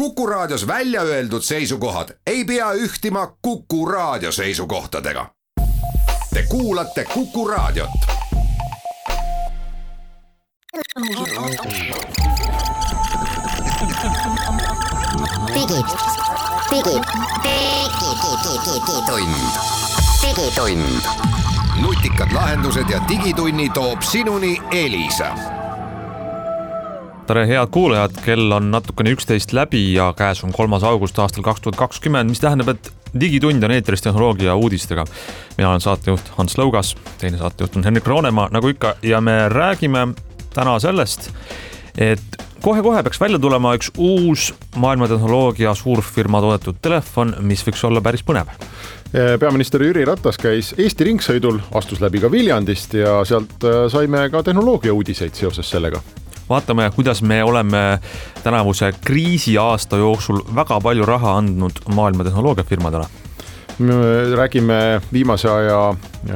Kuku Raadios välja öeldud seisukohad ei pea ühtima Kuku Raadio seisukohtadega. Te kuulate Kuku Raadiot. Digitund. Nutikad lahendused ja digitunni toob sinuni Elisa. Tere head kuulajad, kell on natukene 11 läbi ja käes on 3. august aastal 2020, mis tähendab, et digitund on eetris tehnoloogia uudistega. Mina olen saatejuht Hans Lõugas, teine saatejuht on Henrik Roonemaa, nagu ikka, ja me räägime täna sellest, et kohe-kohe peaks välja tulema üks uus maailmatehnoloogia suurfirma toodetud telefon, mis võiks olla päris põnev. Peaminister Jüri Ratas käis Eesti ringsõidul, astus läbi ka Viljandist ja sealt saime ka tehnoloogia uudiseid seoses sellega. Vaatame, kuidas me oleme tänavuse kriisi aasta jooksul väga palju raha andnud maailma tehnoloogiafirmadele. Me räägime viimase aja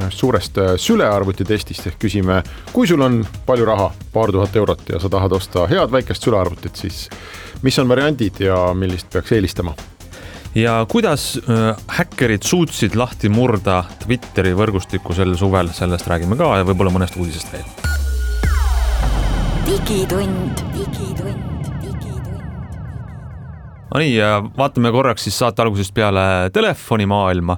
suurest sülearvutitestist ehk küsime, kui sul on palju raha, paar tuhat eurot ja sa tahad osta head väikest sülearvutit, siis mis on variandid ja millist peaks eelistama? Ja kuidas häkkerid suutsid lahti murda Twitteri võrgustiku sel suvel, sellest räägime ka ja võib-olla mõnest uudisest veel. Digitund. No nii, vaatame korraks siis saate algusest peale telefonimaailma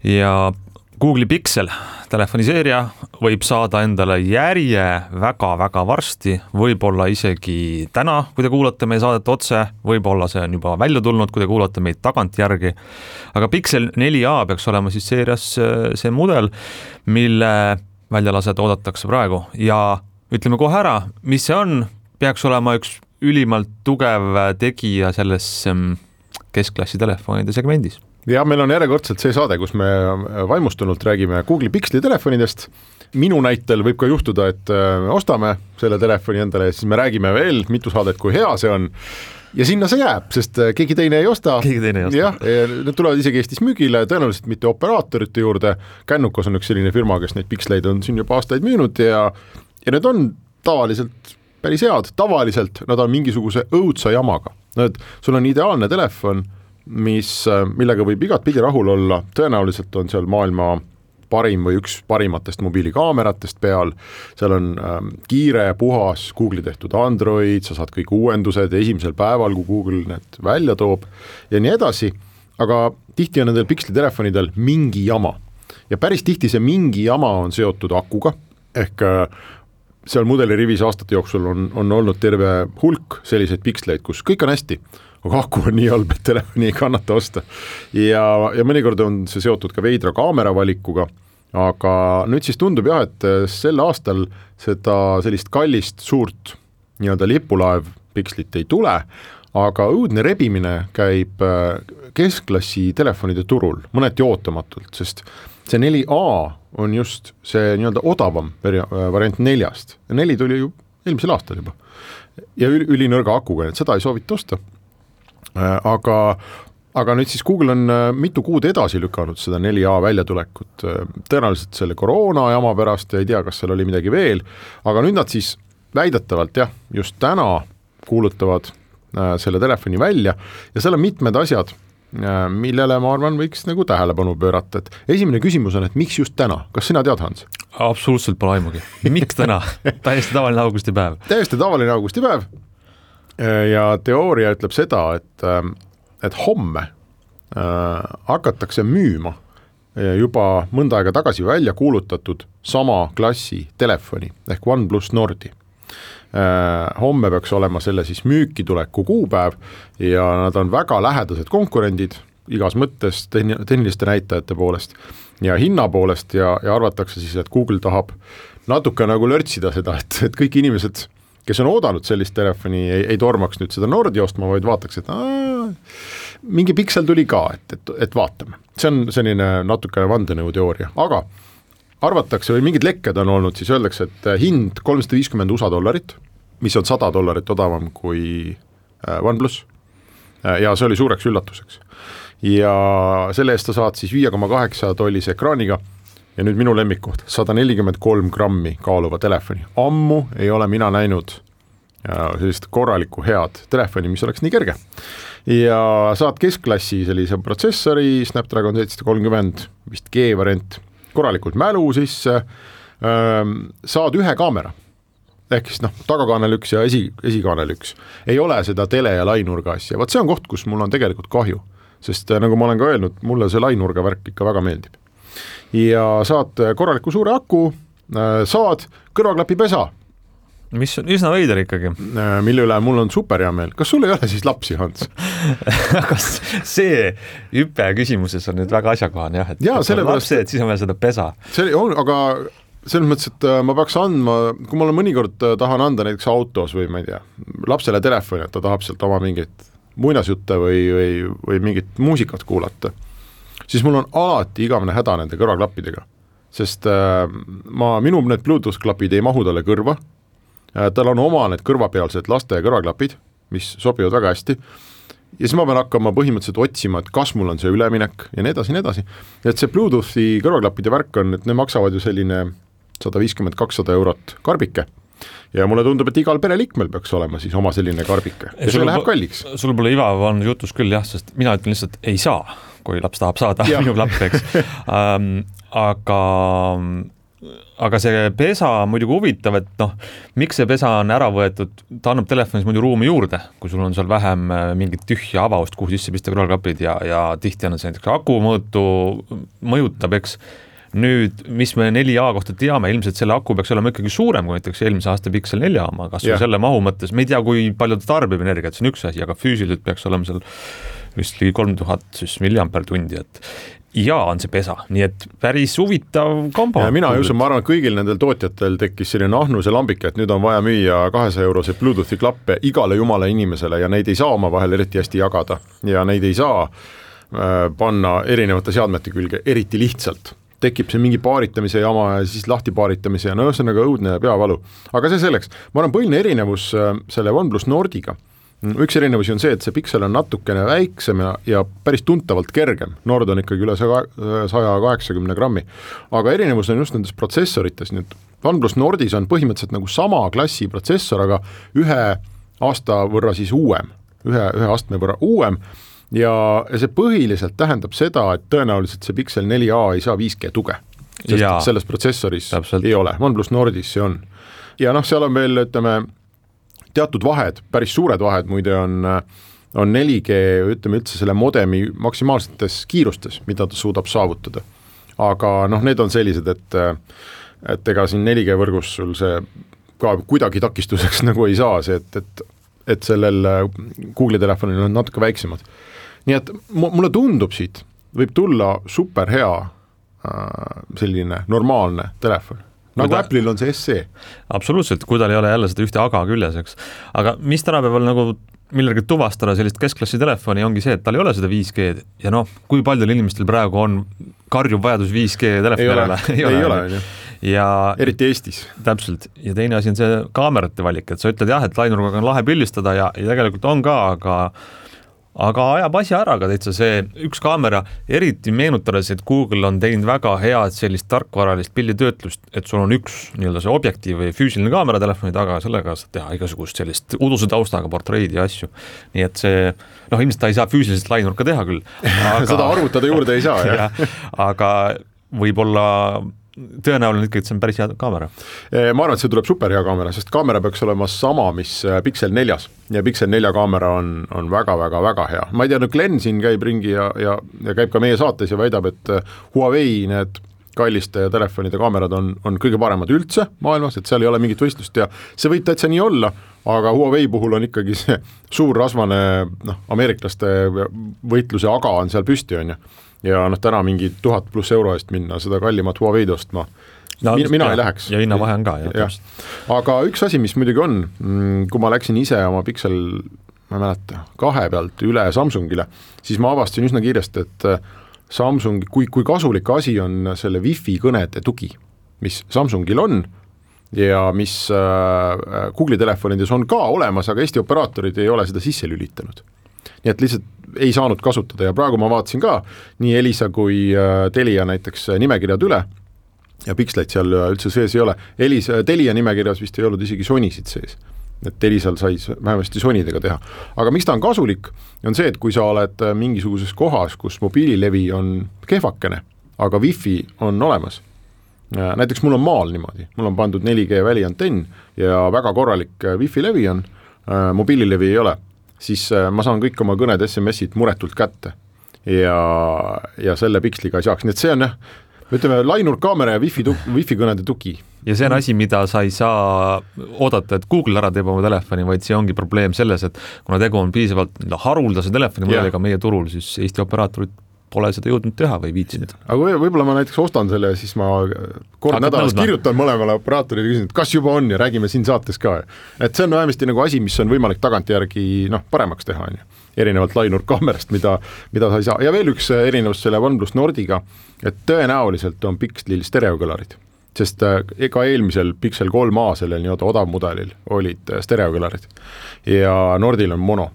ja Google'i Pixel telefoniseeria võib saada endale järje väga-väga varsti, võib-olla isegi täna, kui te kuulate meie saadet otse, võib-olla see on juba välja tulnud, kui te kuulate meid tagantjärgi. Aga Pixel 4a peaks olema siis seerias see mudel, mille väljalased oodatakse praegu ja ütleme kohe ära, mis see on, peaks olema üks ülimalt tugev tegija selles keskklassi telefonide segmendis. Ja meil on järjekordselt see saade, kus me vaimustunult räägime Google'i Pixeli telefonidest. Minu näitel võib ka juhtuda, et ostame selle telefoni endale ja siis me räägime veel mitu saadet, kui hea see on. Ja sinna see jääb, sest keegi teine ei osta. Jah, need tulevad isegi Eestis müügile, tõenäoliselt mitte operaatorite juurde. Kännukas on üks selline firma, kes neid Pixeleid on siin juba aastaid müünud ja need on tavaliselt päris head. Tavaliselt nad on mingisuguse õudsa jamaga. Sul on ideaalne telefon, millega võib igat pidi rahul olla. Tõenäoliselt on seal maailma parim või üks parimatest mobiilikaameratest peal. Seal on kiire, puhas Google'i tehtud Android, sa saad kõik uuendused esimesel päeval, kui Google need välja toob ja nii edasi. Aga tihti on nendel Pixeli telefonidel mingi jama. Ja päris tihti see mingi jama on seotud akuga, ehk seal mudeli rivis aastate jooksul on olnud terve hulk selliseid Pixeleid, kus kõik on hästi, aga aku on nii halb, et telefoni ei kannata osta. Ja mõnikord on see seotud ka veidra kaamera valikuga, aga nüüd siis tundub jah, et sel aastal seda sellist kallist suurt nii-öelda lipulaev Pixelit ei tule, aga õudne rebimine käib keskklassi telefonide turul, mõneti ootamatult, sest see 4a on just see nii-öelda odavam variant 4-st. 4 tuli ju eelmisel aastal juba. Ja ülinõrga akuga, et seda ei soovita osta. Aga nüüd siis Google on mitu kuud edasi lükanud seda 4a väljatulekut. Tõenäoliselt selle koroona jama pärast ja ei tea, kas seal oli midagi veel. Aga nüüd nad siis väidetavalt just täna kuulutavad selle telefoni välja ja seal on mitmed asjad, millele ma arvan võiks nagu tähelepanu pöörata. Et esimene küsimus on, et miks just täna? Kas sina tead, Hans? Absoluutselt pole aimugi. Miks täna? Täiesti tavaline augustipäev. Täiesti tavaline augustipäev. Ja teooria ütleb seda, et homme hakatakse müüma juba mõnda aega tagasi välja kuulutatud sama klassi telefoni ehk OnePlus Nordi. Homme peaks olema selle siis müüki tuleku kuupäev ja nad on väga lähedased konkurendid igas mõttes tehniliste näitajate poolest ja hinna poolest ja arvatakse siis, et Google tahab natuke nagu lörtsida seda, et kõik inimesed, kes on oodanud sellist telefoni, ei tormaks nüüd seda Nordi ostma, vaid vaataks, et mingi Pixel tuli ka, et vaatame. See on selline natukene vandenõuteooria, aga arvatakse või mingid lekked on olnud, siis öeldakse, et hind $350 USA, mis on $100 odavam kui OnePlus. Ja see oli suureks üllatuseks. Ja selle eest sa saad siis 5,8 tollise ekraaniga ja nüüd minu lemmikkoht, 143 grammi kaaluva telefoni. Ammu ei ole mina näinud ja sellist korralikku head telefoni, mis oleks nii kerge. Ja saad keskklassi sellise protsessori, Snapdragon 730, vist G-variant, korralikult mälu sisse, saad ühe kaamera, ehk siis tagakaanel üks ja esikaanel üks. Ei ole seda tele- ja lainurga asja. Vaat see on koht, kus mul on tegelikult kahju, sest nagu ma olen ka öelnud, mulle see lainurga värk ikka väga meeldib. Ja saad korraliku suure aku, saad kõrvaklapipesa, mis on üsna veider ikkagi. Mille üle mul on super hea meel. Kas sul ei ole siis lapsi, Hans? Kas see hüpe küsimuses on nüüd väga asjakohane, jah, et lapsi, et siis on veel seda pesa. See on, aga selles mõttes, et ma peaks andma, kui ma mõnikord tahan anda näiteks autos või ma ei tea, lapsele telefoni, et ta tahab sealt oma mingit muinasjutte või mingit muusikat kuulata, siis mul on alati igavene häda nende kõrvaklappidega, sest minu need Bluetooth klapid ei mahu talle kõrva, tal on oma need kõrvapealsed laste kõrvaklapid, mis sobivad väga hästi, ja siis ma pean hakkama põhimõtteliselt otsima, et kas mul on see üleminek ja nii edasi. Et see Bluetoothi kõrvaklappide värk on, et ne maksavad ju selline 150-200 eurot karbike ja mulle tundub, et igal pereliikmel peaks olema siis oma selline karbike ja see läheb kalliks. Sul pole Ivav on jutus küll jah, sest mina ütlen lihtsalt ei saa, kui laps tahab saada minu klappeks. Aga see pesa on muidugi huvitav, et miks see pesa on ära võetud, ta annab telefonis muidu ruumi juurde, kui sul on seal vähem mingit tühja avast, kuhu sisse pista kõrvaklapid ja tihti on see näiteks aku mõjutab, eks. Nüüd, mis me 4A kohta teame, ilmselt selle aku peaks olema ikkagi suurem kui näiteks eelmise aasta Pixel 4 oma, kas selle mahu mõttes, me ei tea, kui palju ta tarbib energiat, see on üks asi, aga füüsiliselt peaks olema seal vist ligi 3000 milliampertundi, et ja on see pesa, nii et päris huvitav kombo. Mina ei usu, ma arvan, et kõigil nendel tootjatel tekkis selline ahnuse lambike, et nüüd on vaja müüa 200 eurose Bluetoothi klappe igale jumala inimesele ja neid ei saa oma vahel eriti hästi jagada ja neid ei saa panna erinevate seadmete külge eriti lihtsalt. Tekib see mingi paaritamise jama ja siis lahti paaritamise ja ühesõnaga õudne peavalu. Aga see selleks, ma arvan, põhiline erinevus selle OnePlus Nordiga. Üks erinevusi on see, et see Pixel on natukene väiksem ja päris tuntavalt kergem. Nord on ikkagi üle 180 grammi. Aga erinevus on just nendes protsessorites. Nüüd OnePlus Nordis on põhimõtteliselt nagu sama klassi protsessor, aga ühe aasta võrra siis uuem, ühe astme võrra uuem. Ja see põhiliselt tähendab seda, et tõenäoliselt see Pixel 4a ei saa 5G tuge, sest selles protsessoris ei ole. OnePlus Nordis see on. Ja seal on veel, ütleme, teatud vahed, päris suured vahed, muide on 4G, ütleme üldse selle modemi maksimaalsetes kiirustes, mida ta suudab saavutada. Aga need on sellised, et ega siin 4G võrgus sul see ka kuidagi takistuseks nagu ei saa, see, et sellel Google'i telefonil on natuke väiksemad. Nii et mulle tundub siit, võib tulla super hea selline normaalne telefon. Nagu Apple'il on see SE. Absoluutselt, kui tal ei ole jälle seda ühte aga küljes, eks. Aga mis tänapäeval nagu millega tuvastada sellist keskklassi telefoni ongi see, et tal ei ole seda 5G ja kui paljudel inimestel praegu on karjub vajadus 5G telefoni järele? Ei ole. Ja eriti Eestis. Täpselt. Ja teine asi on see kaamerate valik, et sa ütled jah, et lainurgaga on lahe pildistada ja tegelikult on ka, aga ajab asja ära ka täitsa see üks kaamera, eriti meenutades, et Google on teinud väga head sellist tarkvaralist pilditöötlust, et sul on üks nii-öelda see objektiiv või füüsiline kaamera telefoni taga, sellega saad teha igasugust sellist uduse taustaga portreidi ja asju. Nii et see, ilmselt ta ei saa füüsiliselt lainurka teha küll. Aga, seda arvutada juurde ei saa, jah. Aga võib-olla tõenäoline ikkagi, et see on päris hea kaamera. Ma arvan, et see tuleb super hea kaamera, sest kaamera peaks olema sama, mis Pixel 4 ja Pixel 4 kaamera on väga hea. Ma ei tea, Glenn siin käib ringi ja käib ka meie saates ja väidab, et Huawei need kalliste telefonide kaamerad on kõige paremad üldse maailmas, et seal ei ole mingit võistlust ja see võib täitsa nii olla, aga Huawei puhul on ikkagi see suur rasvane ameeriklaste võitluse aga on seal püsti, on ju. Ja täna mingi 1000 pluss euro eest minna seda kallimat Huawei ostma. Mina ei läheks. Ja hinna vahe on ka. Ja. Aga üks asi, mis muidugi on, kui ma läksin ise oma Pixel, ma mäleta, 2 pealt üle Samsungile, siis ma avastasin üsna kiiresti, et Samsung, kui kasulik asi on selle Wi-Fi kõnede tugi, mis Samsungil on ja mis Google'i telefonides on ka olemas, aga Eesti operaatorid ei ole seda sisse lülitanud. Nii et lihtsalt ei saanud kasutada ja praegu ma vaatasin ka nii Elisa kui Telia näiteks nimekirjad üle ja Pixelid seal üldse sees ei ole. Telia nimekirjas vist ei olnud isegi Sonysid sees. et Elisal sai vähemasti sonidega teha. Aga miks ta on kasulik, on see, et kui sa oled mingisuguses kohas, kus mobiililevi on kehvakene, aga wifi on olemas. Näiteks mul on maal niimoodi, mul on pandud 4G väliantenn ja väga korralik wifi levi on, mobiililevi ei ole, siis ma saan kõik oma kõned SMS-id muretult kätte ja selle piksliga ei saaks, nii et see on ütleme, lainurkaamera ja wifi kõnede tugi. Ja see on asi, mida sa ei saa oodata, et Google ära teeb oma telefoni, vaid see ongi probleem selles, et kuna tegu on piisavalt haruldase telefoni mudeliga meie turul, siis Eesti operaatorid pole seda jõudnud teha või viitsinud. Aga võib-olla ma näiteks ostan selle ja siis ma kord nädalas kirjutan mõlemale operaatorile ja küsin, et kas juba on ja räägime siin saates ka. Et see on vähemasti nagu asi, mis on võimalik tagantjärgi paremaks teha, erinevalt lainurkaamerast, mida sa ei saa. Ja veel üks erinevus selle OnePlus Nordiga, et tõenäoliselt on Pixlil stereokõlarid, sest ega eelmisel Pixel 3a sellel nii-oda odavmudelil olid stereokõlarid ja Nordil on mono.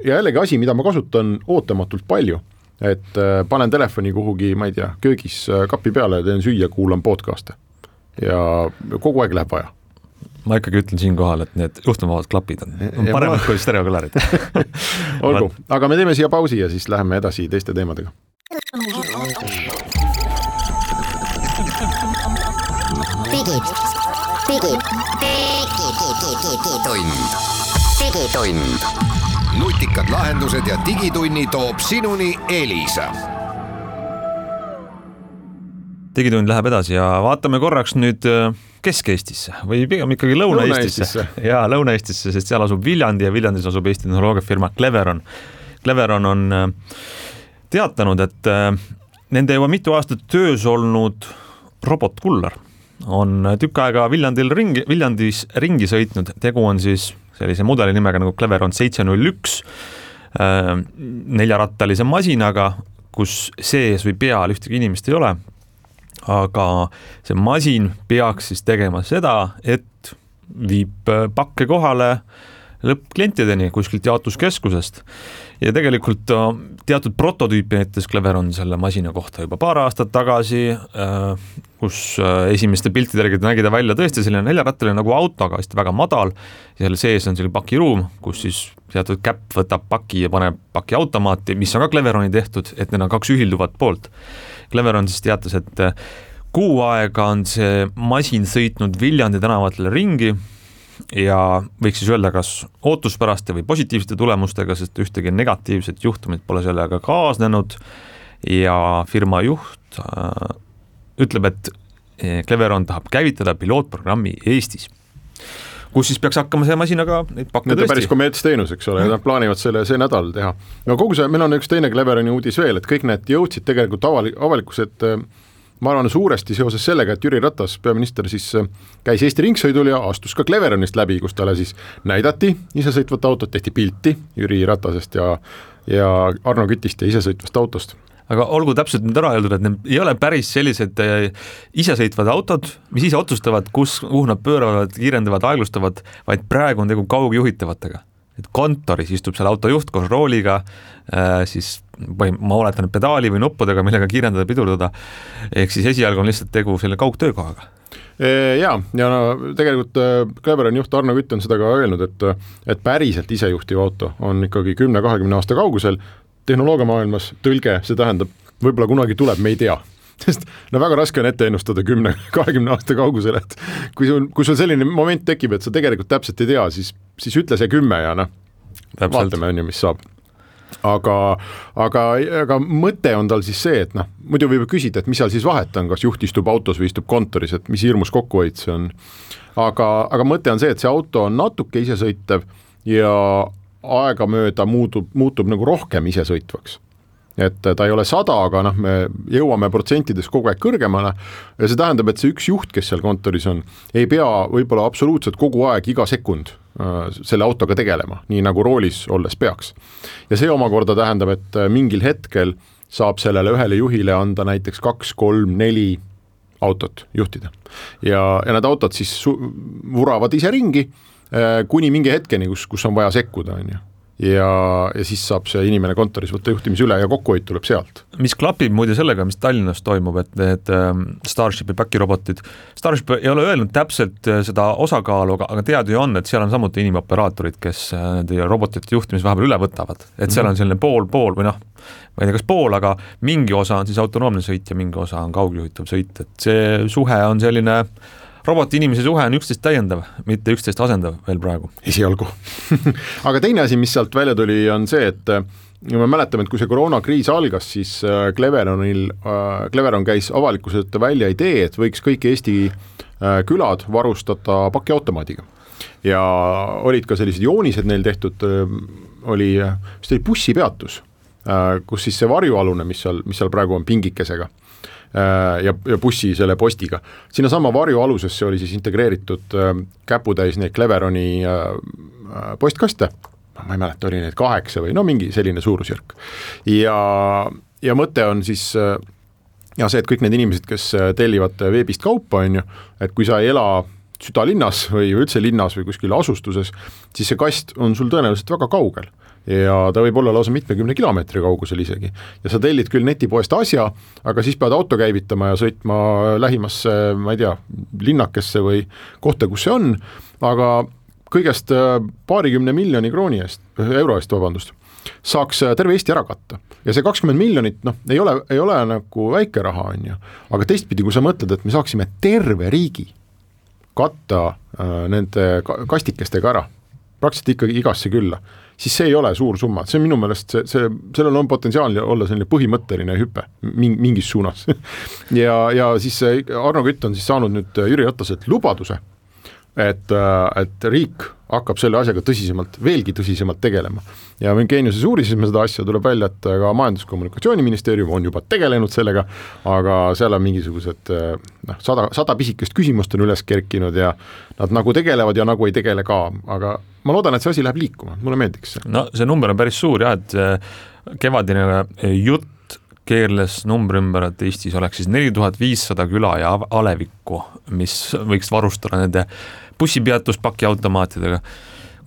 Ja jällegi asi, mida ma kasutan ootamatult palju, et panen telefoni kuhugi, ma ei tea, köögis kapi peale, teen süüa, kuulan podcast'e ja kogu aeg läheb vaja. Ma ikkagi ütlen siin kohal, et need juhtumavad klapid on paremad kui stereokõlarid. Olgu, aga me teeme siia pausi ja siis läheme edasi teiste teemadega. Digitund. Nutikad lahendused ja digitunni toob sinuni Elisa. Digitund läheb edasi ja vaatame korraks nüüd Kesk-Eestisse või pigem ikkagi Lõuna-Eestisse. Ja Lõuna-Eestisse, sest seal asub Viljandi ja Viljandis asub Eesti tehnoloogiafirma Cleveron. Cleveron on teatanud, et nende juba mitu aastat töös olnud robotkullar on tükk aega Viljandis ringi sõitnud. Tegu on siis sellise mudeli nimega nagu Cleveron 701 neljarattalise masinaga, kus sees või peal ühtegi inimest ei ole. Aga see masin peaks siis tegema seda, et viib pakke kohale lõppklientideni kuskilt jaotuskeskusest. Ja tegelikult teatud prototüüpi näitas Cleveron selle masina kohta juba paar aastat tagasi, kus esimeste piltide järgi nägi ta välja tõesti selline neljarattaline nagu auto, aga väga madal. Ja selle sees on selline pakiruum, kus siis teatud käpp võtab paki ja paneb paki automaati, mis on ka Cleveroni tehtud, et need on kaks ühilduvat poolt. Cleveron siis teatas, et kuu aega on see masin sõitnud Viljandi tänavatele ringi ja võiks siis öelda kas ootuspäraste või positiivsete tulemustega, sest ühtegi negatiivset juhtumit pole sellega kaasnenud ja firma juht ütleb, et Cleveron tahab käivitada pilootprogrammi Eestis, kus siis peaks hakkama see masinaga neid pakke tõesti. Päris kommertsteenus, eks ole, nad plaanivad see nädal teha. No kogu see, meil on üks teine Cleveroni uudis veel, et kõik need jõudsid tegelikult avalikkused, ma arvan suuresti seoses sellega, et Jüri Ratas, peaminister, siis käis Eesti ringsõidul ja astus ka Cleveronist läbi, kus talle siis näidati isesõitvat autot, tehti pilti Jüri Ratasest ja Arno Kütist ja isesõitvast autost. Aga olgu täpselt nüüd ära öeldud, et need ei ole päris sellised isesõitvad autod, mis ise otsustavad, kuhu nad pööravad, kiirendavad, aeglustavad, vaid praegu on tegu kaugjuhitavatega. Et kontoris istub seal autojuht koos rooliga, siis ma oletan pedaali või nuppudega, millega kiirendada, pidurdada. Ehk siis esialgu on lihtsalt tegu selle kaugtöökohaga. Ja tegelikult Cleveroni juht Arno Kütt on seda ka öelnud, et päriselt isejuhtiv auto on ikkagi 10-20 aasta kaugusel. Tehnoloogiamaailmas tõlge, see tähendab, võib-olla kunagi tuleb, me ei tea. Sest väga raske on ette ennustada 10-20 aasta kaugusel, et kui sul selline moment tekib, et sa tegelikult täpselt ei tea, siis ütle see 10 ja vaatame, mis saab. Aga mõte on tal siis see, et muidu võib küsida, et mis seal siis vahet on, kas juht istub autos või istub kontoris, et mis hirmus kokkuhoid see on. Aga mõte on see, et see auto on natuke isesõitev ja aegamööda muutub nagu rohkem isesõitvaks. Et ta ei ole 100, aga me jõuame protsentides kogu aeg kõrgemale ja see tähendab, et see üks juht, kes seal kontoris on, ei pea võib-olla absoluutselt kogu aeg iga sekund selle autoga tegelema, nii nagu roolis olles peaks. Ja see omakorda tähendab, et mingil hetkel saab sellele ühele juhile anda näiteks 2, 3, 4 autot juhtida. Ja need autod siis vuravad ise ringi kuni mingi hetkeni, kus on vaja sekkuda. ja siis saab see inimene kontoris võtta juhtimise üle ja kokkuhoid tuleb sealt. Mis klapib muide sellega, mis Tallinnas toimub, et need Starshipi päkirobotid, Starship ei ole öelnud täpselt seda osakaalu, aga teada ju on, et seal on samuti inimoperaatorid, kes robotite juhtimis vahepeal üle võtavad, et seal on selline pool või noh, ma ei tea, kas pool, aga mingi osa on siis autonoomne sõit ja mingi osa on kaugjuhitav sõit, et see suhe on selline roboti-inimese suhe on üksteist täiendav, mitte üksteist asendav veel praegu. Esialgu. Aga teine asi, mis sealt välja tuli, on see, et me mäletame, et kui see koroonakriis algas, siis Cleveron käis avalikkuselt välja idee, et võiks kõik Eesti külad varustada pakiautomaadiga. Ja olid ka sellised joonised neil tehtud, oli bussipeatus, kus siis see varjualune, mis seal praegu on pingikesega, ja bussi selle postiga. Sinna sama varju alusesse oli siis integreeritud käputäis neid Cleveroni postkaste, ma ei mäleta, oli neid 8 või no mingi selline suurusjärk. Ja mõte on siis ja see, et kõik need inimesed, kes tellivad veebist kaupa, on ju, et kui sa ei ela südalinnas või üldse linnas või kuskil asustuses, siis see kast on sul tõenäoliselt väga kaugel. Ja ta võib olla lausa 70 kilomeetri kaugusel isegi. Ja sa tellid küll netipoest asja, aga siis pead auto käivitama ja sõitma lähimasse, ma ei tea, linnakesse või kohta, kus see on, aga kõigest paarikümne miljoni euro eest, saaks terve Eesti ära katta. Ja see 20 miljonit, ei ole nagu väike raha, on ju. Aga teistpidi, kui sa mõtled, et me saaksime terve riigi katta nende kastikestega ära, praktiliselt ikkagi igasse külla, siis see ei ole suur summa. See on minu meelest, sellel on potentsiaal olla selline põhimõtteline hüpe mingis suunas. ja siis Arno Kütt on siis saanud nüüd Jüri Rataselt lubaduse, et riik hakkab selle asjaga veelgi tõsisemalt tegelema. Ja Geeniuses uurisime seda asja, tuleb välja, et ka Majandus-Kommunikatsiooniministeerium on juba tegelenud sellega, aga seal on mingisugused 100 pisikest küsimust on üles kerkinud ja nad nagu tegelevad ja nagu ei tegele ka, aga ma loodan, et see asi läheb liikuma, mulle meeldiks see. No see number on päris suur jah, et kevadine jutt keerles numbri ümber, et Eestis oleks siis 4500 küla ja alevikku, mis võiks varustada nende bussipeatuspakiautomaatidega,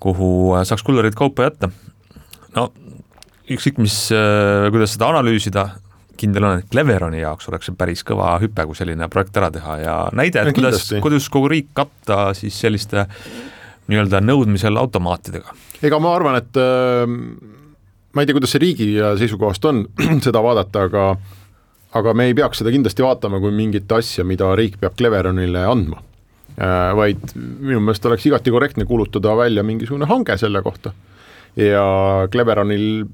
kuhu saaks kullerid kaupa jätta. No, ükskõik kuidas seda analüüsida, kindel on, et Cleveroni jaoks oleks see päris kõva hüpe, kui selline projekt ära teha ja näide, et kuidas kogu riik katta siis selliste nii-öelda nõudmisel automaatidega. Ega ma arvan, et ma ei tea, kuidas see riigi seisukohast on seda vaadata, aga me ei peaks seda kindlasti vaatama kui mingit asja, mida riik peab Cleveronile andma. Vaid minu meelest oleks igati korrektne kuulutada välja mingisugune hange selle kohta. Ja Cleveronil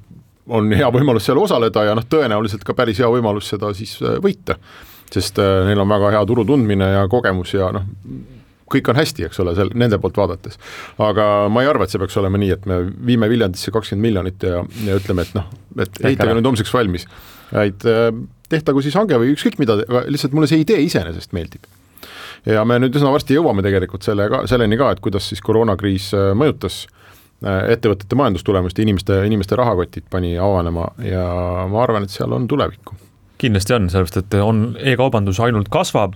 on hea võimalus seal osaleda ja tõenäoliselt ka päris hea võimalus seda siis võita, sest neil on väga hea turu tundmine ja kogemus ja kõik on hästi, eks ole, nende poolt vaadates. Aga ma ei arva, et see peaks olema nii, et me viime Viljandisse 20 miljonit ja ütleme, et ehitage nüüd homseks valmis. Tehtagu siis hange või ükskõik mida, lihtsalt mulle see idee iseenesest meeldib. Ja me nüüd üsna varsti jõuame tegelikult selleni ka, et kuidas siis koroonakriis mõjutas ettevõtete majandustulemust ja inimeste rahakotid pani avanema ja ma arvan, et seal on tulevikku. Kindlasti on, sellepärast, et e-kaubandus ainult kasvab,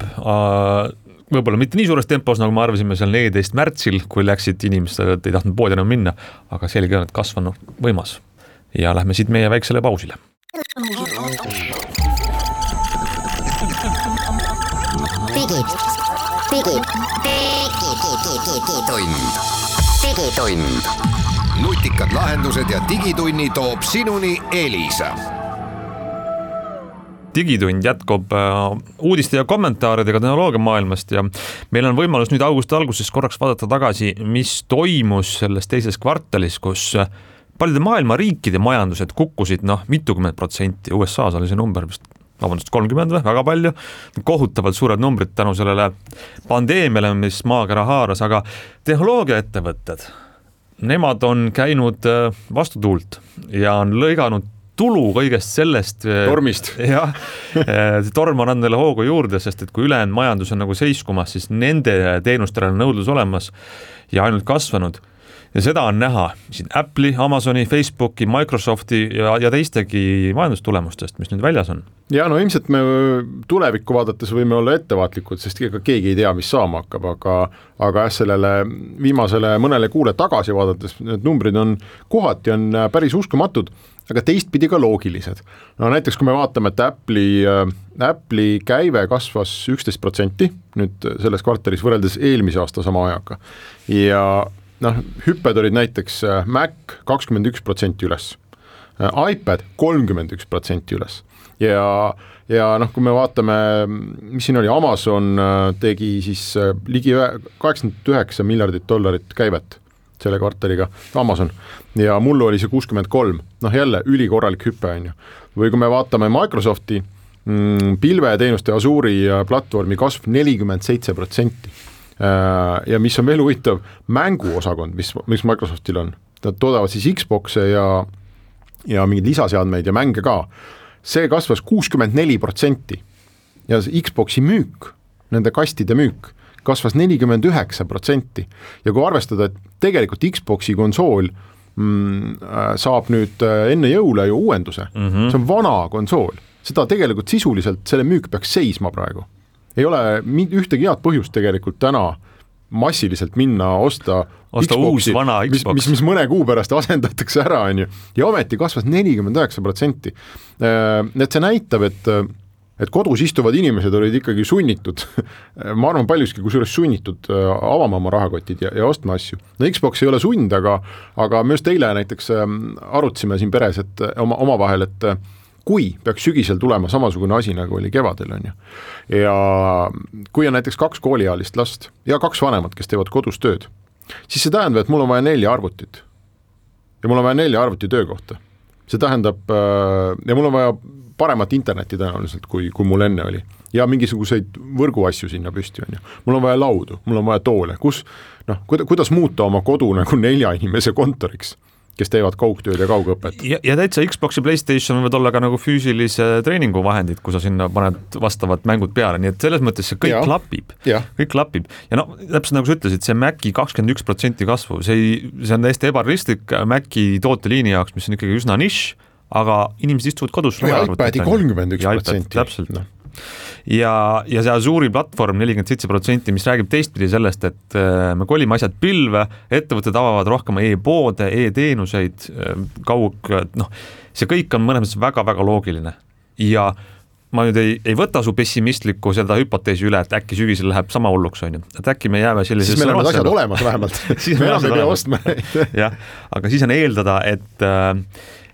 võib-olla mitte nii suures tempos, nagu me arvasime seal 14. märtsil, kui läksid inimesed, et ei tahtnud poodi enam minna, aga selge on, et kasv on võimas. Ja lähme siit meie väiksele pausile. Digitund. Nutikad lahendused ja digitunni toob sinuni Elisa. Digitund jätkub uudiste ja kommentaaridega tehnoloogia maailmast ja meil on võimalus nüüd augusti alguses korraks vaadata tagasi, mis toimus selles teises kvartalis, kus paljude maailma riikide majandused kukkusid mitukümmend %. USA-s oli see number vist 30 või, väga palju, kohutavalt suured numbrid tänu sellele pandeemiale, mis maakera haaras, aga tehnoloogiaettevõtted, nemad on käinud vastutuult ja on lõiganud tulu kõigest sellest tormist. Jah, torm on andnud neile hoogu juurde, sest et kui ülejäänud majandus on nagu seiskumas, siis nende teenustele on nõudlus olemas ja ainult kasvanud. ja seda on näha siin Apple'i, Amazoni, Facebooki, Microsofti ja teistegi majandustulemustest, mis nüüd väljas on. Ja no ilmselt me tulevikku vaadates võime olla ettevaatlikud, sest ega keegi ei tea, mis saama hakkab, aga sellele viimasele mõnele kuule tagasi vaadates need numbrid on kohati on päris uskumatud, aga teistpidi ka loogilised. No näiteks kui me vaatame, et Apple'i käive kasvas 11% nüüd selles kvartalis võrreldes eelmise aasta sama ajaga ja hüpped olid näiteks Mac 21% üles, iPad 31% üles ja kui me vaatame, mis siin oli, Amazon tegi siis ligi $89 miljardit käivet selle kvartaliga, Amazon, ja mullu oli see 63, jälle ülikorralik hüpe on ju. Või kui me vaatame Microsofti pilveteenuste Azure'i platvormi kasv 47%. Ja mis on veel huvitav, mänguosakond, mis Microsoftil on, nad toodavad siis Xboxe ja mingeid lisaseadmeid ja mänge ka, see kasvas 64% ja Xboxi müük, nende kastide müük, kasvas 49% ja kui arvestada, et tegelikult Xboxi konsool saab nüüd enne jõule ju uuenduse, see on vana konsool, seda tegelikult sisuliselt selle müük peaks seisma praegu. Ei ole ühtegi head põhjust tegelikult täna massiliselt minna osta Xboxi, uus vana Xbox, mis mõne kuu pärast asendatakse ära on ju, ja ometi kasvas 49%. Et see näitab, et kodus istuvad inimesed olid ikkagi sunnitud, ma arvan paljuski kusjuures sunnitud avama oma rahakotid ja ostma asju. No Xbox ei ole sund, aga me just eile näiteks arutasime siin peres omavahel, et kui peaks sügisel tulema samasugune asi, nagu oli kevadel on ju. Ja kui on näiteks 2 kooliealist last ja 2 vanemat, kes teevad kodus tööd, siis see tähendab, et mul on vaja 4 arvutit. Ja mul on vaja 4 arvuti töökohta. See tähendab, ja mul on vaja paremat interneti tõenäoliselt, kui mul enne oli. Ja mingisuguseid võrguasju sinna püsti on ju. Mul on vaja laudu, mul on vaja toole. Kuidas muuta oma kodu nagu 4 inimese kontoriks, kes teevad kaugtööd ja kaugõpet. Ja täitsa Xbox ja PlayStation võivad olla ka nagu füüsilise treeninguvahendid, kui sa sinna paned vastavad mängud peale, nii et selles mõttes see kõik klapib. Kõik klapib. Ja täpselt nagu sa ütlesid, see Maci 21% kasvu, see on täiesti ebarealistlik Maci tooteliini jaoks, mis on ikkagi üsna nišš, aga inimesed istuvad kodus. Ja iPadi 31%. Täpselt. Ja see Azure'i platvorm 47%, mis räägib teistpidi sellest, et me kolime asjad pilve, ettevõtted avavad rohkem e-poode, e-teenuseid, see kõik on mõnes mõttes väga-väga loogiline. Ja ma nüüd ei võta su pessimistlikku seda hüpoteesi üle, et äkki sügisel läheb sama hulluks on ju. Et äkki me jääme sellisesse... Siis meil on asjad olemas vähemalt. me enam ei pea ostma. Jah, aga siis on eeldada,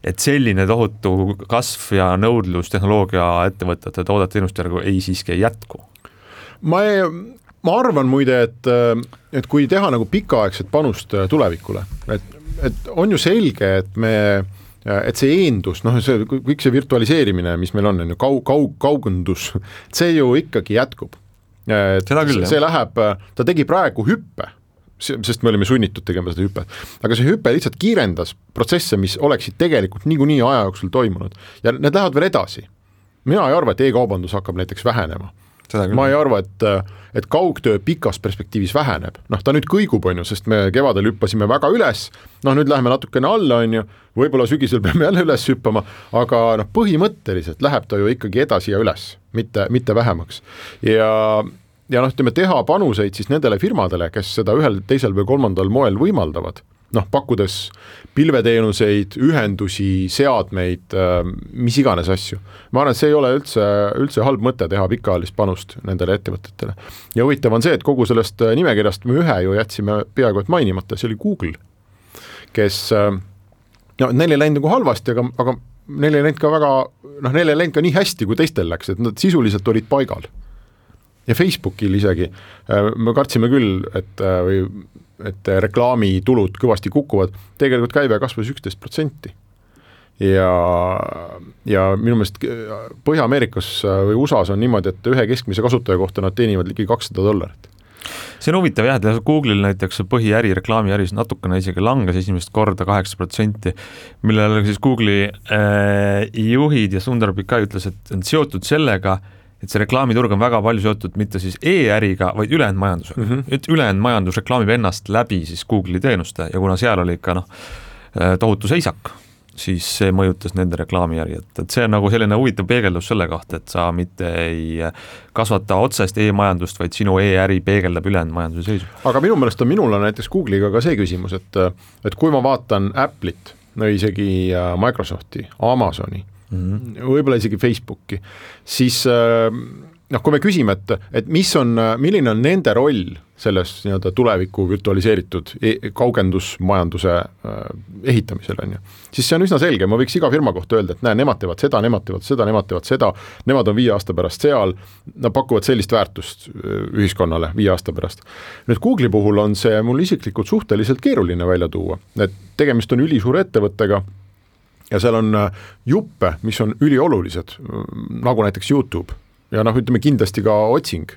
et selline tohutu kasv ja nõudlus tehnoloogia ettevõtete toodete teenuste järgu ei siiski jätku. Ma arvan muide, et kui teha nagu pikaaegset panust tulevikule, et on ju selge, et see eendus, kõik see virtualiseerimine, mis meil on kaugundus, see ju ikkagi jätkub. See läheb, ta tegi praegu hüppe, sest me olime sunnitud tegema seda hüppe. Aga see hüppe lihtsalt kiirendas protsesse, mis oleksid tegelikult niikuinii aja jooksul toimunud. Ja need lähevad veel edasi. Mina ei arva, et e-kaubandus hakkab näiteks vähenema. Ma ei arva, et kaugtöö pikas perspektiivis väheneb. Ta nüüd kõigub on ju, sest me kevadel hüppasime väga üles, nüüd läheme natukene alla on ju, võib-olla sügisel peame jälle üles hüppama, aga põhimõtteliselt läheb ta ju ikkagi edasi ja üles, mitte vähemaks. Ja ütleme, teha panuseid siis nendele firmadele, kes seda ühel, teisel või kolmandal moel võimaldavad, pakkudes pilveteenuseid, ühendusi, seadmeid, mis iganes asju. Ma arvan, et see ei ole üldse halb mõte teha pikaajalist panust nendele ettevõtetele. Ja huvitav on see, et kogu sellest nimekirjast me ühe ju jätsime peaaegu et mainimata, see oli Google, kes neil ei läinud nagu halvasti, aga neil ei läinud ka väga, neil ei läinud ka nii hästi, kui teistel läks, et nad sisuliselt olid paigal. Ja Facebookil isegi, me kartsime küll, et reklaamitulud kõvasti kukuvad, tegelikult käive kasvas 11%. Ja minu meelest Põhja-Ameerikas või USAs on niimoodi, et ühe keskmise kasutaja kohta nad teenivad ligi $200. See on huvitav jah, et Google'il näiteks põhiäri, reklaamiäris natukene isegi langes esimest korda 8%, millele siis Google'i juhid ja Sundar Pichai ütles, et on seotud sellega, et see reklaamiturg on väga palju seotud mitte siis e-äriga, vaid ülejäänud majandusega. Et ülejäänud majandus reklaamib ennast läbi siis Google'i teenuste ja kuna seal oli ikka tohutu seisak, siis see mõjutas nende reklaamijärgi, et see on nagu selline huvitav peegeldus selle kohta, et sa mitte ei kasvata otsest e-majandust, vaid sinu e-äri peegeldab ülejäänud majanduse seisu. Aga minu meelest on minul näiteks Google'iga ka see küsimus, et kui ma vaatan Apple'it, no isegi Microsofti, Amazoni, võib-olla isegi Facebooki, siis kui me küsime, et milline on nende roll selles nii-öelda tuleviku virtualiseeritud kaugendusmajanduse ehitamisel, siis see on üsna selge, ma võiks iga firma kohta öelda, et nemad teevad seda, nemad teevad seda, nemad teevad seda, nemad on 5 aasta pärast seal, nad pakuvad sellist väärtust ühiskonnale 5 aasta pärast. Nüüd Google'i puhul on see mul isiklikult suhteliselt keeruline välja tuua, et tegemist on ülisuure ettevõttega, ja seal on juppe, mis on üliolulised, nagu näiteks YouTube ja ütleme kindlasti ka otsing.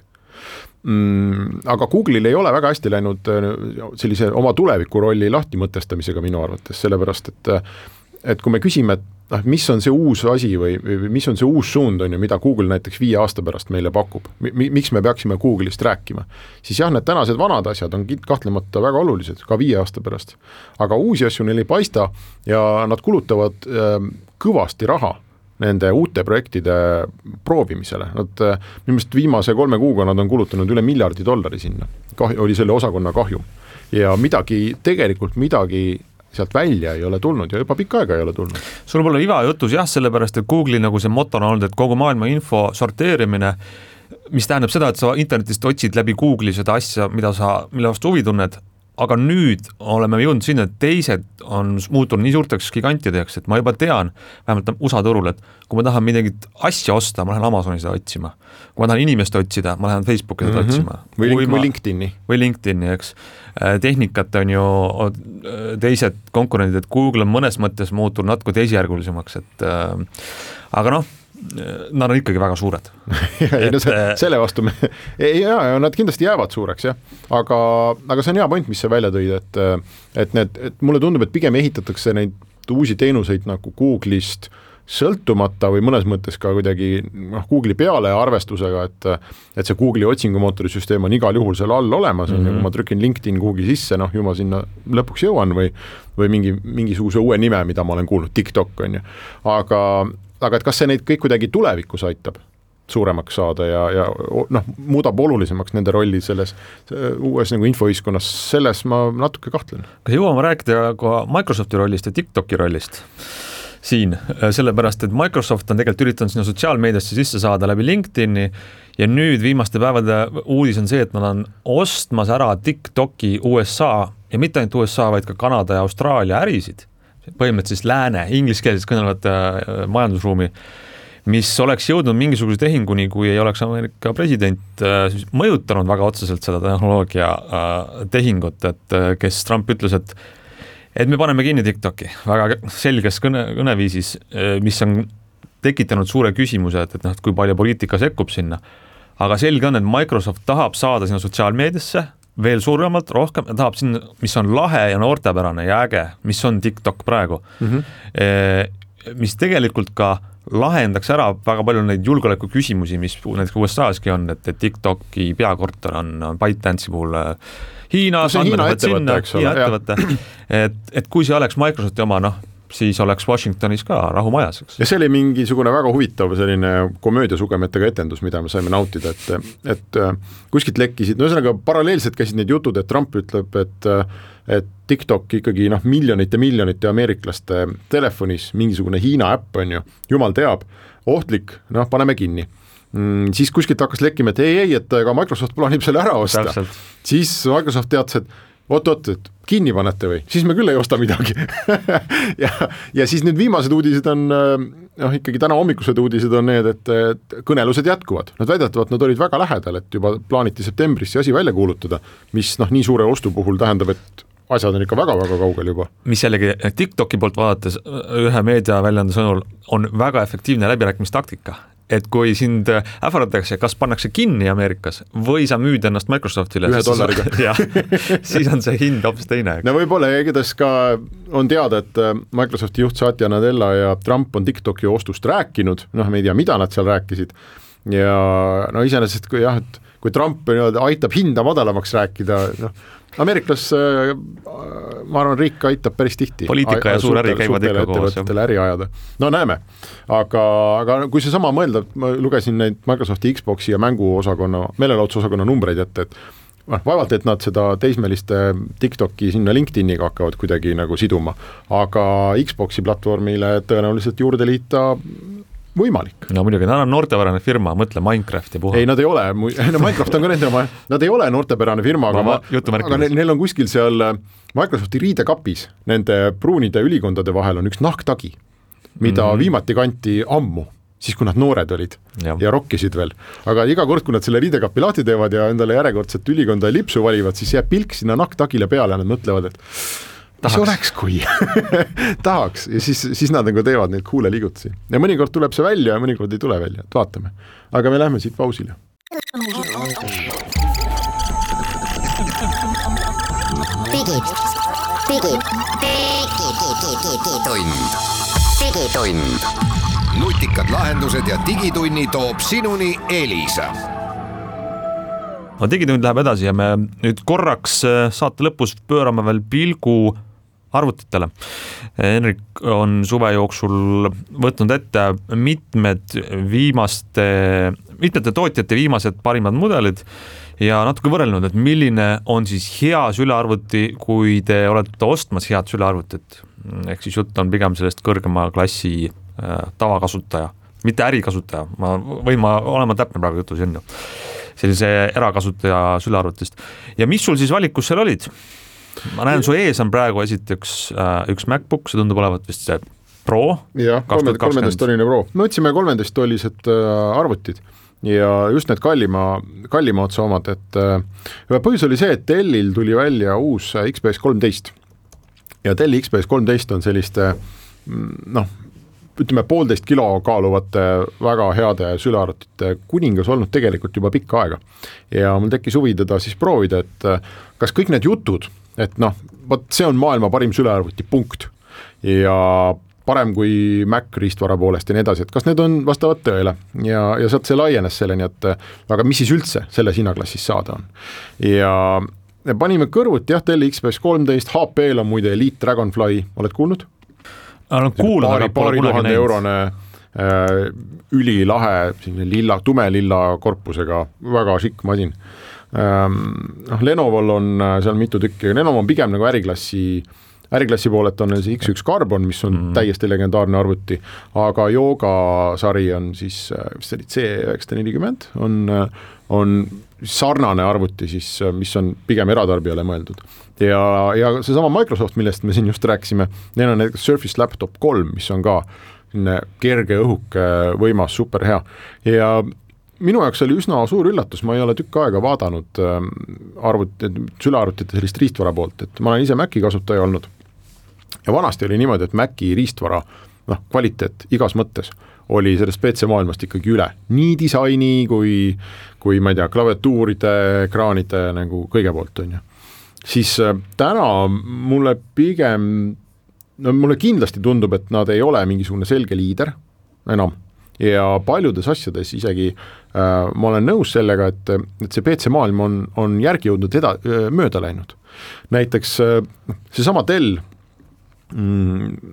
Aga Google'il ei ole väga hästi läinud sellise oma tuleviku rolli lahti mõtestamisega minu arvates, sellepärast et kui me küsime, et mis on see uus asi või mis on see uus suund, mida Google näiteks 5 aasta pärast meile pakub, miks me peaksime Google'ist rääkima, siis jah, need tänased vanad asjad on kahtlemata väga olulised, ka 5 aasta pärast. Aga uusi asju neil ei paista ja nad kulutavad kõvasti raha nende uute projektide proovimisele. Nad minu meelest viimase 3 kuuga nad on kulutanud üle $1 miljardi sinna. Oli selle osakonna kahjum. Ja tegelikult midagi sealt välja ei ole tulnud ja juba pikka aega ei ole tulnud. Sul pole iva jutus jah, sellepärast, et Google'i nagu see moto on olnud, et kogu maailma info sorteerimine, mis tähendab seda, et sa internetist otsid läbi Google'i seda asja, mille vastu huvi tunned, aga nüüd oleme jõudnud sinna, et teised on muutunud nii suurteks gigantideks, et ma juba tean, vähemalt USA turul, et kui ma tahan midagi asja osta, ma lähen Amazoni seda otsima. Kui ma tahan inimest otsida, ma lähen Facebooki seda otsima. Või LinkedIn'i. Või LinkedIn'i, eks. Tehnikat on ju teised konkurendid, et Google on mõnes mõttes muutunud natuke teisjärgulisemaks, et aga nad on ikkagi väga suured. Selle vastu nad kindlasti jäävad suureks, jah. Aga see on hea point, mis sa välja tõid, et mulle tundub, et pigem ehitatakse neid uusi teenuseid nagu Google'ist sõltumata või mõnes mõttes ka kuidagi Google'i peale arvestusega, et see Google'i otsingumootori süsteem on igal juhul seal all olemas, kui ma trükin LinkedIn Google'i sisse, ju ma sinna lõpuks jõuan või mingisuguse uue nime, mida ma olen kuulnud, TikTok on ju. Aga et kas see neid kõik kuidagi tulevikus aitab suuremaks saada ja muudab olulisemaks nende rolli selles uues nagu infoühiskonnas, selles ma natuke kahtlen. Kas jõuame rääkida ka Microsofti rollist ja TikToki rollist siin, sellepärast, et Microsoft on tegelikult üritanud sinna sotsiaalmeediasse sisse saada läbi LinkedIn'i ja nüüd viimaste päevade uudis on see, et nad on ostmas ära TikToki USA ja mitte ainult USA, vaid ka Kanada ja Austraalia ärisid. Põhimõtteliselt siis lääne, ingliskeelses kõnelevat majandusruumi, mis oleks jõudnud mingisuguse tehinguni, kui ei oleks Ameerika president mõjutanud väga otseselt seda tehnoloogia tehingut, et kes Trump ütles, et me paneme kinni TikToki väga selges kõneviisis, mis on tekitanud suure küsimuse, et kui palju poliitika sekkub sinna. Aga selge on, et Microsoft tahab saada sinna sotsiaalmeediasse veel suuremalt, rohkem, tahab sinna, mis on lahe ja noortepärane ja äge, mis on TikTok praegu, mis tegelikult ka lahendaks ära väga palju neid julgeoleku küsimusi, mis näiteks USA-ski on, et TikToki peakorter on ByteDance'i puhul Hiinas, Hiina ettevõte, et kui see oleks Microsofti oma, siis oleks Washingtonis ka rahumajas. Ja see oli mingisugune väga huvitav selline komöödiasugemetega etendus, mida me saime nautida, et kuskilt lekkisid, ühesõnaga paralleelselt käisid need jutud, et Trump ütleb, et TikTok ikkagi miljonite ameeriklaste telefonis mingisugune Hiina äpp on ju, jumal teab, ohtlik, paneme kinni. Siis kuskilt hakkas lekkima, et ei, et ka Microsoft plaanib selle ära osta. Täpselt. Siis Microsoft teatas, et et kinni panete või, siis me küll ei osta midagi. ja siis nüüd viimased uudised on, ikkagi täna hommikused uudised on need, et kõnelused jätkuvad. Nad väidetavad, nad olid väga lähedal, et juba plaaniti septembris see asi välja kuulutada, mis nii suure ostu puhul tähendab, et asjad on ikka väga-väga kaugel juba. Mis jällegi TikToki poolt vaadates ühe meediaväljaande sõnul on väga efektiivne läbirääkimistaktika. Et kui sind ähvardatakse, kas pannakse kinni Ameerikas või sa müüd ennast Microsoftile, siis on see hind hoopis teine. No võib-olla igatahes ka on teada, et Microsofti juht Satya Nadella ja Trump on TikToki ostust rääkinud, me ei tea, mida nad seal rääkisid, ja no iseenesest kui jah, et kui Trump aitab hinda madalamaks rääkida, Ameerikas ma arvan, riik aitab päris tihti. Poliitika ja suur äri käivad ikka koos. Äri ajada. No näeme, aga kui see sama mõelda, ma lugesin neid Microsofti Xboxi ja mänguosakonna, meelelahutusosakonna numbreid ette, et vaevalt, et nad seda teismeliste TikToki sinna LinkedIniga hakkavad kuidagi nagu siduma, aga Xboxi platvormile tõenäoliselt juurde liita võimalik. No muidugi, nad on noortepärane firma, mõtle Minecrafti puhul. Ei, nad ei ole, Minecraft on ka nende oma, nad ei ole noortepärane firma, aga neil on kuskil seal Microsofti riidekapis, nende pruunide ülikondade vahel on üks nahktagi, mida viimati kanti ammu, siis kui nad noored olid ja rokkisid veel. Aga iga kord, kui nad selle riidekapi lahti teevad ja endale järjekordset ülikonda ja lipsu valivad, siis jääb pilk sinna nahktagile peale ja nad mõtlevad, et mis oleks, kui tahaks ja siis nad nagu teevad neid kuule liigutusi. Ja mõnikord tuleb see välja ja mõnikord ei tule välja, et vaatame. Aga me lähme siit pausile. Digitund. Nutikad lahendused ja digitunni toob sinuni Elisa. No digitund läheb edasi ja me nüüd korraks saate lõpus pöörame veel pilgu arvutitele. Henrik on suve jooksul võtnud ette mitmete tootjate viimased parimad mudelid ja natuke võrrelnud, et milline on siis hea sülearvuti, kui te olete ostmas head sülearvutit. Ehk siis jutt on pigem sellest kõrgema klassi tavakasutaja, mitte ärikasutaja. Ma olema täpne praegu jutus enne. Sellise erakasutaja sülearvutist. Ja mis sul siis valikus seal olid? Ma näen, su ees on praegu esiteks üks MacBook, see tundub olevat vist see Pro. Jah, 13-toline Pro. Me otsime 13-tolised arvutid ja just need kallima otsa omad, et põhjus oli see, et Dellil tuli välja uus XPS 13 ja Delli XPS 13 on selliste ütleme 1,5 kilo kaaluvate väga heade sülearvutite kuningas olnud tegelikult juba pikka aega. Ja mul tekkis huvi teda siis proovida, et kas kõik need jutud, et see on maailma parim sülearvuti punkt ja parem kui Mac riistvara poolest ja nii edasi, et kas need on vastavad tõele ja sealt see laienes selleni, et aga mis siis üldse selles hinnaklassis saada on. Ja panime kõrvuti, Delli XPS 13, HP-l on muide Elite Dragonfly, oled kuulnud? Paari tuhande eurone ülilahe tume lilla korpusega, väga šikk masin. Lenovo'l on seal mitu tükki, Lenovo on pigem nagu äriklassi poolelt on see X1 Carbon, mis on täiesti legendaarne arvuti, aga Yoga sari on siis C940, on sarnane arvuti, siis, mis on pigem eratarbijale mõeldud. Ja see sama Microsoft, millest me siin just rääkisime, neil on Surface Laptop 3, mis on ka kerge õhuke võimas, super hea. Ja minu jaoks oli üsna suur üllatus, ma ei ole tükk aega vaadanud sülearvutite sellist riistvara poolt, et ma olen ise Maci kasutaja olnud. Ja vanasti oli niimoodi, et Maci riistvara kvaliteet igas mõttes oli sellest PC maailmast ikkagi üle. Nii disaini kui ma ei tea, klaviatuuride, ekraanide nagu kõige poolt on ju. Siis täna mulle kindlasti tundub, et nad ei ole mingisugune selge liider enam ja paljudes asjades isegi ma olen nõus sellega, et see PC maailm on järgi jõudnud mööda läinud. Näiteks seesama Dell,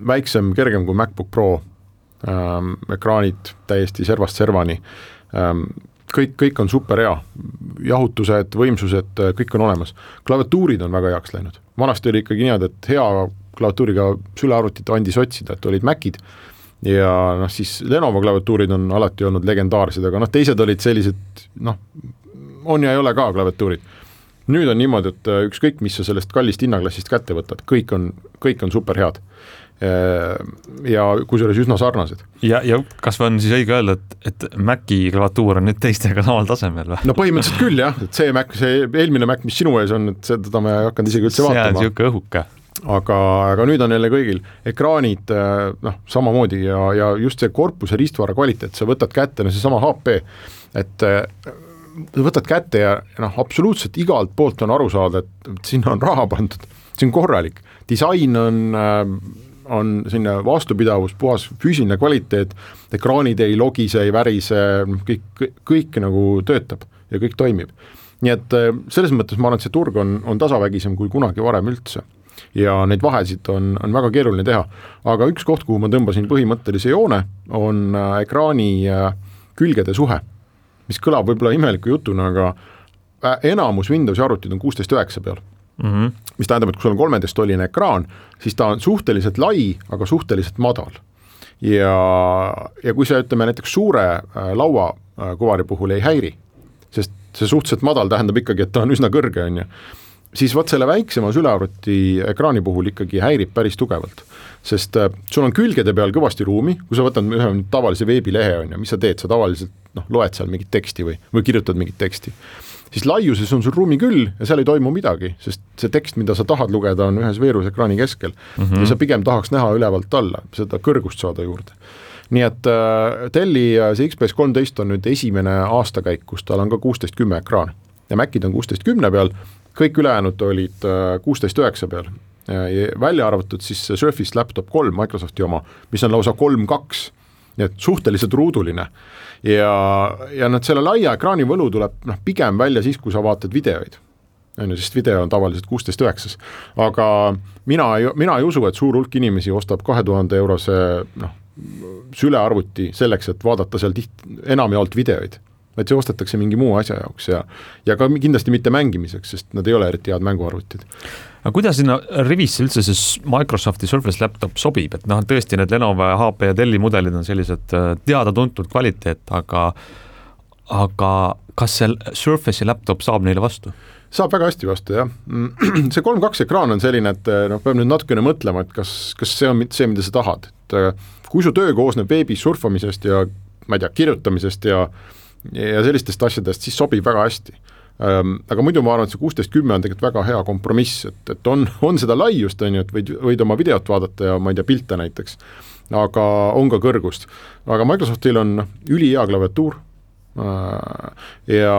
väiksem, kergem kui MacBook Pro, ekraanid täiesti servast servani, kõik on super hea, jahutused, võimsused, kõik on olemas. Klaviatuurid on väga heaks läinud. Vanasti oli ikkagi nii, et hea klaviatuuriga sülearvutit andis otsida, et olid Macid ja siis Lenovo klaviatuurid on alati olnud legendaarsed, aga teised olid sellised, on ja ei ole ka klaviatuurid. Nüüd on niimoodi, et ükskõik, mis sa sellest kallist hinnaklassist kätte võtad, kõik on super head. Ja kusjuures üsna sarnased. Ja kas on siis õige öelda, et Maci klaviatuur on nüüd teistega samal tasemel või? No põhimõtteliselt küll jah, et see eelmine Mac, mis sinu ees on, et seda me ei hakanud isegi üldse vaatama. See on siuke õhuke. Aga nüüd on jälle kõigil ekraanid samamoodi ja just see korpuse riistvara kvaliteet, sa võtad kätte, see sama HP, et võtad kätte ja absoluutselt igalt poolt on aru saada, et sinna on raha pandud, see on korralik, disain on on selline vastupidavus, puhas füüsiline kvaliteet, ekraanid ei logise, ei värise, kõik nagu töötab ja kõik toimib. Nii et selles mõttes ma arvan, et see turg on tasavägisem kui kunagi varem üldse ja neid vahesid on väga keeruline teha. Aga üks koht, kuhu ma tõmbasin põhimõttelise joone, on ekraani külgede suhe, mis kõlab võib-olla imeliku jutuna, aga enamus Windowsi arvutid on 16:9 peal. Mis tähendab, et kui sul on 13-tolline ekraan, siis ta on suhteliselt lai, aga suhteliselt madal. Ja kui see, ütleme, näiteks suure laua kuvari puhul ei häiri, sest see suhteliselt madal tähendab ikkagi, et ta on üsna kõrge, on ju, siis võt selle väiksema sülearvuti ekraani puhul ikkagi häirib päris tugevalt. Sest sul on külgede peal kõvasti ruumi, kui sa võtad ühe tavalise veebilehe, on ju, mis sa teed, sa tavaliselt loed seal mingit teksti või kirjutad mingit teksti. Siis laiuses on sul ruumi küll ja seal ei toimu midagi, sest see tekst, mida sa tahad lugeda, on ühes veerusekraani keskel ja sa pigem tahaks näha ülevalt alla, seda kõrgust saada juurde. Nii et Delli see XPS 13 on nüüd esimene aastakäik, kus tal on ka 16:10 ekraan ja Macid on 16:10 peal, kõik ülejäänud olid 16:9 peal. Ja välja arvatud siis Surface Laptop 3 Microsofti oma, mis on lausa 3.2, nii et suhteliselt ruuduline. Ja selle laia ekraani võlu tuleb pigem välja siis, kui sa vaatad videoid. Sest video on tavaliselt 16:9. Aga mina ei usu, et suur hulk inimesi ostab 2000 eurose sülearvuti selleks, et vaadata seal enamjaolt videoid. Et see ostetakse mingi muu asja jaoks ja ka kindlasti mitte mängimiseks, sest nad ei ole eriti head mänguarvutid. Aga kuidas sinna rivisse üldse see Microsofti Surface Laptop sobib? Et tõesti need Lenovo, HP ja Delli mudelid on sellised teada-tuntud kvaliteet, aga kas see Surface'i laptop saab neile vastu? Saab väga hästi vastu, jah. See 3.2 ekraan on selline, et peab nüüd natukene mõtlema, et kas see on see, mida sa tahad. Et kui su töö koosneb veebis surfamisest ja ma ei tea, kirjutamisest ja sellistest asjadest, siis sobib väga hästi. Aga muidu ma arvan, et see 16:10 on tegelikult väga hea kompromiss, et on seda laiust, on ju, et võid oma videot vaadata ja ma ei tea, pilte näiteks, aga on ka kõrgust. Aga Microsoftil on ülihea klaviatuur ja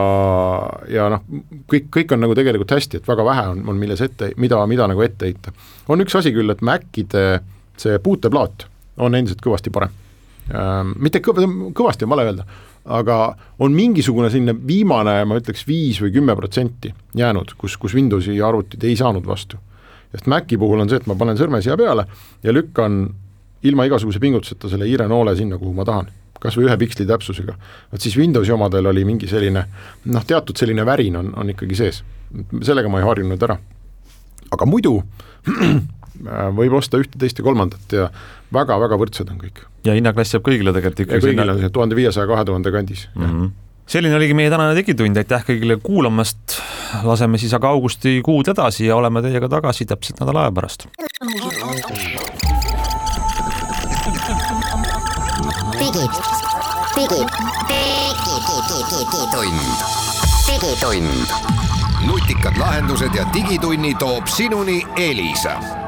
kõik on nagu tegelikult hästi, et väga vähe on milles mida nagu ette heita. On üks asi küll, et Macide see puuteplaat on endiselt kõvasti parem. Mitte kõvasti on vale öelda, aga on mingisugune selline viimane, ma ütleks 5 või 10% jäänud, kus Windowsi arvutid ei saanud vastu. Sest Maci puhul on see, et ma panen sõrme siia peale ja lükkan ilma igasuguse pingutuseta selle hiire noole sinna, kuhu ma tahan. Kas või 1 piksli täpsusega. Et siis Windowsi omadel oli mingi selline, teatud selline värin on ikkagi sees. Sellega ma ei harjunud ära. Aga muidu võib osta 1, 2 ja 3 ja väga-väga võrdsed on kõik. Ja hinnaklass jääb kõigile tegelikult ikka. Ja kõigile on 1500-2000 kandis. Selline oligi meie tänane digitund, aitäh kõigile kuulamast. Laseme siis aga augustikuud edasi ja oleme teiega tagasi täpselt nädala aja pärast. Digitund. Nutikad lahendused ja digitunni toob sinuni Elisa.